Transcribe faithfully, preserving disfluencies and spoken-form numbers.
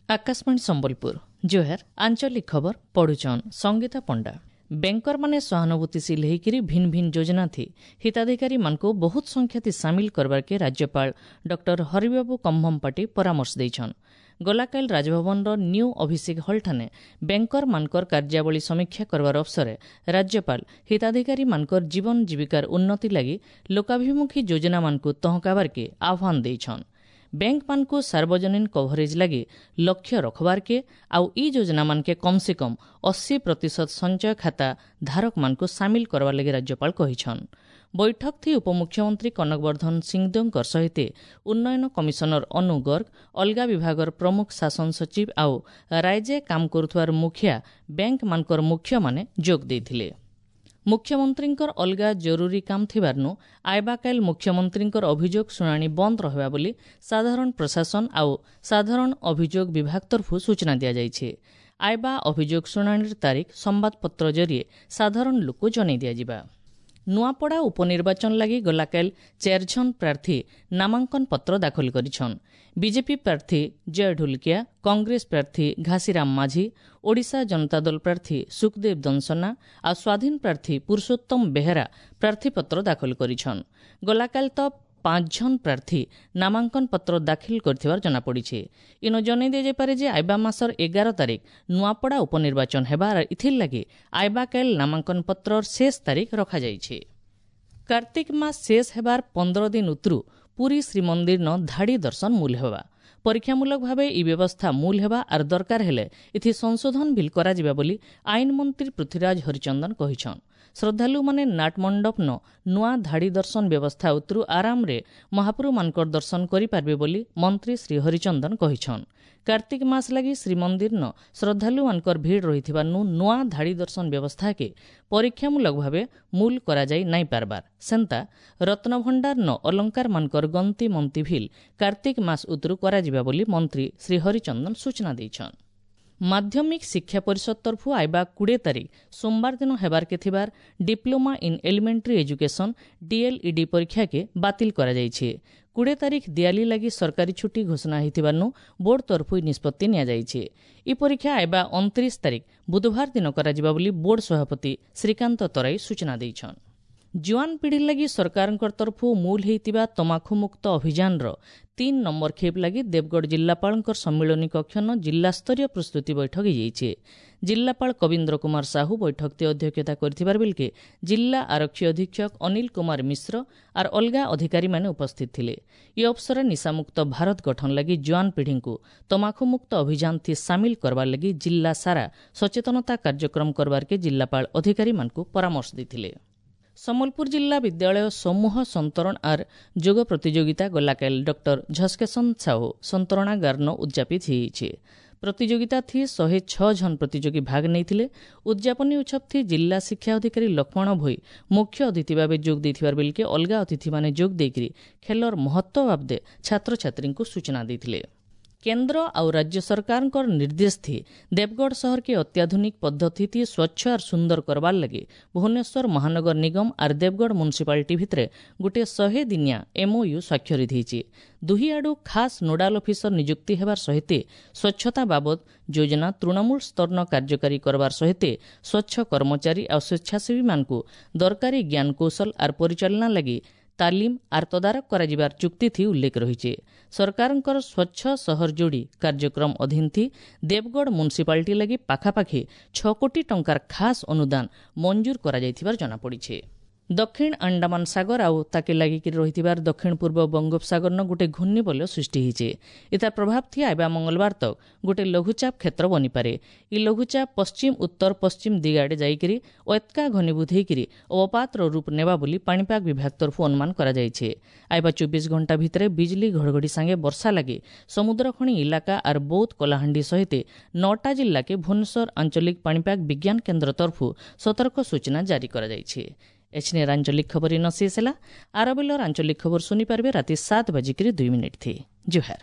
ଆକାଶବାଣୀ ସମ୍ବଲପୁର ଜୁହାର ଆଞ୍ଚଳିକ ଖବର ପଢୁଛନ୍ ସଙ୍ଗୀତା ପଣ୍ଡା ବ୍ୟାଙ୍କରମାନେ ସହାନୁଭୂତିଶୀଳ ହେଇକିରି ଭିନ୍ ଭିନ୍ ଯୋଜନା ଥି ହିତାଧିକାରୀମାନଙ୍କୁ ବହୁତ ସଂଖ୍ୟାଥି ସାମିଲ କରବାର୍କେ ରାଜ୍ୟପାଳ ଡକ୍ଟର ହରିବାବୁ କମ୍ଭମପାଟି ପରାମର୍ଶ ଦେଇଛନ୍ ଗଲାକାଲି ରାଜଭବନର ନ୍ୟୁ ଅଭିଷେକ ହଲ୍ଠାନେ ବ୍ୟାଙ୍କରମାନଙ୍କର କାର୍ଯ୍ୟାବଳୀ ସମୀକ୍ଷା କରବାର ଅବସରେ ରାଜ୍ୟପାଳ ହିତାଧିକାରୀମାନଙ୍କର ଜୀବନ ଜୀବିକାର ଉନ୍ନତି ଲାଗି ଲୋକାଭିମୁଖୀ ଯୋଜନାମାନଙ୍କୁ ତହକାବାର୍କେ ଆହ୍ୱାନ ଦେଇଛନ୍ ବ୍ୟାଙ୍କମାନଙ୍କୁ ସାର୍ବଜନୀନ କଭରେଜ ଲାଗି ଲକ୍ଷ୍ୟ ରଖବାର୍କେ ଆଉ ଇ ଯୋଜନାମାନକେ କମ୍ ସେ କମ୍ ଅଶୀ ପ୍ରତିଶତ ସଞ୍ଚୟ ଖାତା ଧାରକମାନଙ୍କୁ ସାମିଲ କରବାର୍ ଲାଗି ରାଜ୍ୟପାଳ କହିଛନ୍ ବୈଠକ ଥି ଉପମୁଖ୍ୟମନ୍ତ୍ରୀ କନକବର୍ଦ୍ଧନ ସିଂଦେଓଙ୍କର ସହିତ ଉନ୍ନୟନ କମିଶନର ଅନୁ ଗର୍ଗ ଅଲଗା ବିଭାଗର ପ୍ରମୁଖ ଶାସନ ସଚିବ ଆଉ ରାଇଜେ କାମ କରୁଥିବାର ମୁଖିଆ ବ୍ୟାଙ୍କମାନଙ୍କର ମୁଖ୍ୟମାନେ ଯୋଗ ଦେଇଥିଲେ ମୁଖ୍ୟମନ୍ତ୍ରୀଙ୍କର ଅଲଗା ଜରୁରୀ କାମ ଥିବାରୁନୁ ଆଇବାକାଇଲ ମୁଖ୍ୟମନ୍ତ୍ରୀଙ୍କର ଅଭିଯୋଗ ଶୁଣାଣି ବନ୍ଦ ରହିବା ବୋଲି ସାଧାରଣ ପ୍ରଶାସନ ଆଉ ସାଧାରଣ ଅଭିଯୋଗ ବିଭାଗ ତରଫରୁ ସୂଚନା ଦିଆଯାଇଛି ଆଇବା ଅଭିଯୋଗ ଶୁଣାଣିର ତାରିଖ ସମ୍ବାଦପତ୍ର ଜରିଏ ସାଧାରଣ ଲୋକ ଜଣାଇ ଦିଆଯିବା ନୂଆପଡ଼ା ଉପନିର୍ବାଚନ ଲାଗି ଗଲାକାଲି ଚାରିଜଣ ପ୍ରାର୍ଥୀ ନାମାଙ୍କନ ପତ୍ର ଦାଖଲ କରିଛନ୍ ବିଜେପି ପ୍ରାର୍ଥୀ ଜୟ ଢୁଲକିଆ କଂଗ୍ରେସ ପ୍ରାର୍ଥୀ ଘାସିରାମ ମାଝୀ ଓଡ଼ିଶା ଜନତା ଦଳ ପ୍ରାର୍ଥୀ ସୁଖଦେବ ଦନସନା ଆଉ ସ୍ୱାଧୀନ ପ୍ରାର୍ଥୀ ପୁରୁଷୋତ୍ତମ ବେହେରା ପ୍ରାର୍ଥୀପତ୍ର ଦାଖଲ କରିଛନ୍ ଗଲାକାଲି ତ ପାଞ୍ଚ ଜଣ ପ୍ରାର୍ଥୀ ନାମାଙ୍କନ ପତ୍ର ଦାଖିଲ କରିଥିବାର ଜଣାପଡ଼ିଛି ଇନ ଜଣାଇ ଦିଆଯାଇପାରେ ଯେ ଆଇବା ମାସର ଏଗାର ତାରିଖ ନୂଆପଡ଼ା ଉପନିର୍ବାଚନ ହେବାର ଇଥିର୍ ଲାଗି ଆଇବାକାଇଲ ନାମାଙ୍କନ ପତ୍ରର ଶେଷ ତାରିଖ ରଖାଯାଇଛି କାର୍ତ୍ତିକ ମାସ ଶେଷ ହେବାର ପନ୍ଦର ଦିନ ଉତରୁ ପୁରୀ ଶ୍ରୀମନ୍ଦିରନ ଧାଡ଼ି ଦର୍ଶନ ମୂଲ ହେବା ପରୀକ୍ଷାମୂଳକ ଭାବେ ଇ ବ୍ୟବସ୍ଥା ମୂଲ ହେବା ଆର୍ ଦରକାର ହେଲେ ଏଥି ସଂଶୋଧନ ବିଲ୍ କରାଯିବା ବୋଲି ଆଇନ ମନ୍ତ୍ରୀ ପୃଥ୍ୱୀରାଜ ହରିଚନ୍ଦନ କହିଛନ୍ ଶ୍ରଦ୍ଧାଳୁମାନେ ନାଟମଣ୍ଡପନ ନୂଆ ଧାଡ଼ି ଦର୍ଶନ ବ୍ୟବସ୍ଥା ଉତରୁ ଆରାମରେ ମହାପ୍ରଭୁମାନଙ୍କର ଦର୍ଶନ କରିପାରିବେ ବୋଲି ମନ୍ତ୍ରୀ ଶ୍ରୀ ହରିଚନ୍ଦନ କହିଛନ୍ କାର୍ତ୍ତିକ ମାସ ଲାଗି ଶ୍ରୀମନ୍ଦିରନ ଶ୍ରଦ୍ଧାଳୁମାନଙ୍କର ଭିଡ଼ ରହିଥିବାରୁ ନୂଆ ଧାଡ଼ି ଦର୍ଶନ ବ୍ୟବସ୍ଥାକେ ପରୀକ୍ଷାମୂଳକ ଭାବେ ମୂଲ କରାଯାଇ ନାଇଁ ପାରବାର ସେନ୍ତା ରତ୍ନଭଣ୍ଡାରନ ଅଲଙ୍କାରମାନଙ୍କର ଗନ୍ତି ମନ୍ତି ଭିଲ୍ କାର୍ତ୍ତିକ ମାସ ଉତରୁ କରାଯିବା ବୋଲି ମନ୍ତ୍ରୀ ଶ୍ରୀ ହରିଚନ୍ଦନ ସୂଚନା ଦେଇଛନ୍ ମାଧ୍ୟମିକ ଶିକ୍ଷା ପରିଷଦ ତରଫରୁ ଆଇବା କୋଡ଼ିଏ ତାରିଖ ସୋମବାର ଦିନ ହେବାର୍କେ ଥିବାର Diploma in Elementary Education DElEd ପରୀକ୍ଷାକେ ବାତିଲ କରାଯାଇଛି କୋଡ଼ିଏ ତାରିଖ ଦିଆଲି ଲାଗି ସରକାରୀ ଛୁଟି ଘୋଷଣା ହୋଇଥିବାରୁ ବୋର୍ଡ ତରଫରୁ ନିଷ୍ପତ୍ତି ନିଆଯାଇଛି ଇ ପରୀକ୍ଷା ଆଇବା ଅଣତିରିଶ ତାରିଖ ବୁଧବାର ଦିନ କରାଯିବ ବୋଲି ବୋର୍ଡ ସଭାପତି ଶ୍ରୀକାନ୍ତ ତରାଇ ସୂଚନା ଦେଇଛନ୍ ଜୁଆନ ପିଢ଼ି ଲାଗି ସରକାରଙ୍କ ତରଫରୁ ମୂଲ ହେଇଥିବା ତମାଖୁମୁକ୍ତ ଅଭିଯାନର ତିନ୍ ନମ୍ବର ଖେପ୍ ଲାଗି ଦେବଗଡ଼ ଜିଲ୍ଲାପାଳଙ୍କର ସମ୍ମିଳନୀ କକ୍ଷନ ଜିଲ୍ଲାସ୍ତରୀୟ ପ୍ରସ୍ତୁତି ବୈଠକ ହୋଇଯାଇଛି ଜିଲ୍ଲାପାଳ କବୀନ୍ଦ୍ର କୁମାର ସାହୁ ବୈଠକରେ ଅଧ୍ୟକ୍ଷତା କରିଥିବାର ବେଲକେ ଜିଲ୍ଲା ଆରକ୍ଷୀ ଅଧୀକ୍ଷକ ଅନିଲ କୁମାର ମିଶ୍ର ଆର୍ ଅଲଗା ଅଧିକାରୀମାନେ ଉପସ୍ଥିତ ଥିଲେ ଇ ଅବସରରେ ନିଶାମୁକ୍ତ ଭାରତ ଗଠନ ଲାଗି ଜୁଆନ ପିଢ଼ିଙ୍କୁ ତମାଖୁମୁକ୍ତ ଅଭିଯାନ ଥି ସାମିଲ କରବାର ଲାଗି ଜିଲ୍ଲା ସାରା ସଚେତନତା କାର୍ଯ୍ୟକ୍ରମ କରବାର୍କେ ଜିଲ୍ଲାପାଳ ଅଧିକାରୀମାନଙ୍କୁ ପରାମର୍ଶ ଦେଇଥିଲେ ସମ୍ବଲପୁର ଜିଲ୍ଲା ବିଦ୍ୟାଳୟ ସମୂହ ସନ୍ତରଣ ଆର୍ ଯୋଗ ପ୍ରତିଯୋଗିତା ଗଲାକାଲି ଡକ୍ଟର ଝସକେଶନ ସାହୁ ସନ୍ତରଣାଗାରନ ଉଦ୍ଯାପିତ ହୋଇଛି ପ୍ରତିଯୋଗିତା ଥି ଶହେ ଛଅ ଜଣ ପ୍ରତିଯୋଗୀ ଭାଗ ନେଇଥିଲେ ଉଦ୍ଯାପନୀ ଉତ୍ସବ ଥି ଜିଲ୍ଲା ଶିକ୍ଷା ଅଧିକାରୀ ଲକ୍ଷ୍ମଣ ଭୋଇ ମୁଖ୍ୟ ଅତିଥି ଭାବେ ଯୋଗ ଦେଇଥିବାର ବେଲକେ ଅଲଗା ଅତିଥିମାନେ ଯୋଗ ଦେଇକରି ଖେଲର ମହତ୍ତ୍ୱ ବାବଦେ ଛାତ୍ରଛାତ୍ରୀଙ୍କୁ ସୂଚନା ଦେଇଥିଲେ କେନ୍ଦ୍ର ଆଉ ରାଜ୍ୟ ସରକାରଙ୍କର ନିର୍ଦ୍ଦେଶ ଥି ଦେବଗଡ଼ ସହରକେ ଅତ୍ୟାଧୁନିକ ପଦ୍ଧତି ଥି ସ୍ୱଚ୍ଛ ଆର୍ ସୁନ୍ଦର କରବାର୍ ଲାଗି ଭୁବନେଶ୍ୱର ମହାନଗର ନିଗମ ଆର୍ ଦେବଗଡ଼ ମ୍ୟୁନିସିପାଲିଟି ଭିତରେ ଗୋଟିଏ ଶହେ ଦିନିଆ ଏମ୍ଓୟୁ ସ୍ୱାକ୍ଷରିତ ହୋଇଛି ଦୁହି ଆଡ଼ୁ ଖାସ୍ ନୋଡାଲ ଅଫିସର ନିଯୁକ୍ତି ହେବାର ସହିତ ସ୍ୱଚ୍ଛତା ବାବଦ ଯୋଜନା ତୃଣମୂଳ ସ୍ତରନ କାର୍ଯ୍ୟକାରୀ କରବାର ସହିତ ସ୍ୱଚ୍ଛ କର୍ମଚାରୀ ଆଉ ସ୍ୱେଚ୍ଛାସେବୀମାନଙ୍କୁ ଦରକାରୀ ଜ୍ଞାନକୌଶଳ ଆର୍ ପରିଚାଳନା ଲାଗି ତାଲିମ ଆର୍ ତଦାରଖ କରାଯିବାର ଚୁକ୍ତି ଥି ଉଲ୍ଲେଖ ରହିଛି ସରକାରଙ୍କର ସ୍ୱଚ୍ଛ ସହର ଯୋଡ଼ି କାର୍ଯ୍ୟକ୍ରମ ଅଧୀନ ଥି ଦେବଗଡ଼ ମ୍ୟୁନିସିପାଲିଟି ଲାଗି ପାଖାପାଖି ଛଅ କୋଟି ଟଙ୍କାର ଖାସ୍ ଅନୁଦାନ ମଞ୍ଜୁର କରାଯାଇଥିବାର ଜଣାପଡ଼ିଛି ଦକ୍ଷିଣ ଆଣ୍ଡାମାନ ସାଗର ଆଉ ତାକେ ଲାଗିକି ରହିଥିବାର ଦକ୍ଷିଣ ପୂର୍ବ ବଙ୍ଗୋପସାଗରନ ଗୋଟେ ଘୂର୍ଣ୍ଣିବଳୟ ସୃଷ୍ଟି ହେଇছে ଏତାର ପ୍ରଭାବ ଥି ଆଇବା ମଙ୍ଗଳବାର ତକ ଗୋଟେ ଲଘୁଚାପ କ୍ଷେତ୍ର ବନିପାରେ ଇ ଲଘୁଚାପ ପଶ୍ଚିମ ଉତ୍ତର ପଶ୍ଚିମ ଦିଗ ଆଡ଼େ ଯାଇକରି ଏତ୍କା ଘନୀଭୂତ ହେଇକରି ଅବପାତର ରୂପ ନେବା ବୋଲି ପାଣିପାଗ ବିଭାଗ ତରଫରୁ ଅନୁମାନ କରାଯାଇଛି ଆଇବା ଚବିଶ ଘଣ୍ଟା ଭିତରେ ବିଜଲି ଘଡ଼ଘଡ଼ି ସାଙ୍ଗେ ବର୍ଷା ଲାଗି ସମୁଦ୍ରଖଣି ଇଲାକା ଆର୍ ବୌଦ୍ଧ କଳାହାଣ୍ଡି ସହିତ ନଅଟା ଜିଲ୍ଲାକେ ଭୁବନେଶ୍ୱର ଆଞ୍ଚଳିକ ପାଣିପାଗ ବିଜ୍ଞାନ କେନ୍ଦ୍ର ତରଫରୁ ସତର୍କ ସୂଚନା ଜାରି କରାଯାଇଛି ଏଛିନେର ଆଞ୍ଚଳିକ ଖବର ଇନ ଶେଷ ହେଲା ଆରବେଲର ଆଞ୍ଚଳିକ ଖବର ଶୁଣିପାରିବେ ରାତି ସାତ ବାଜିକିରି ଦୁଇ ମିନିଟ୍ ଥି ଜୁହାର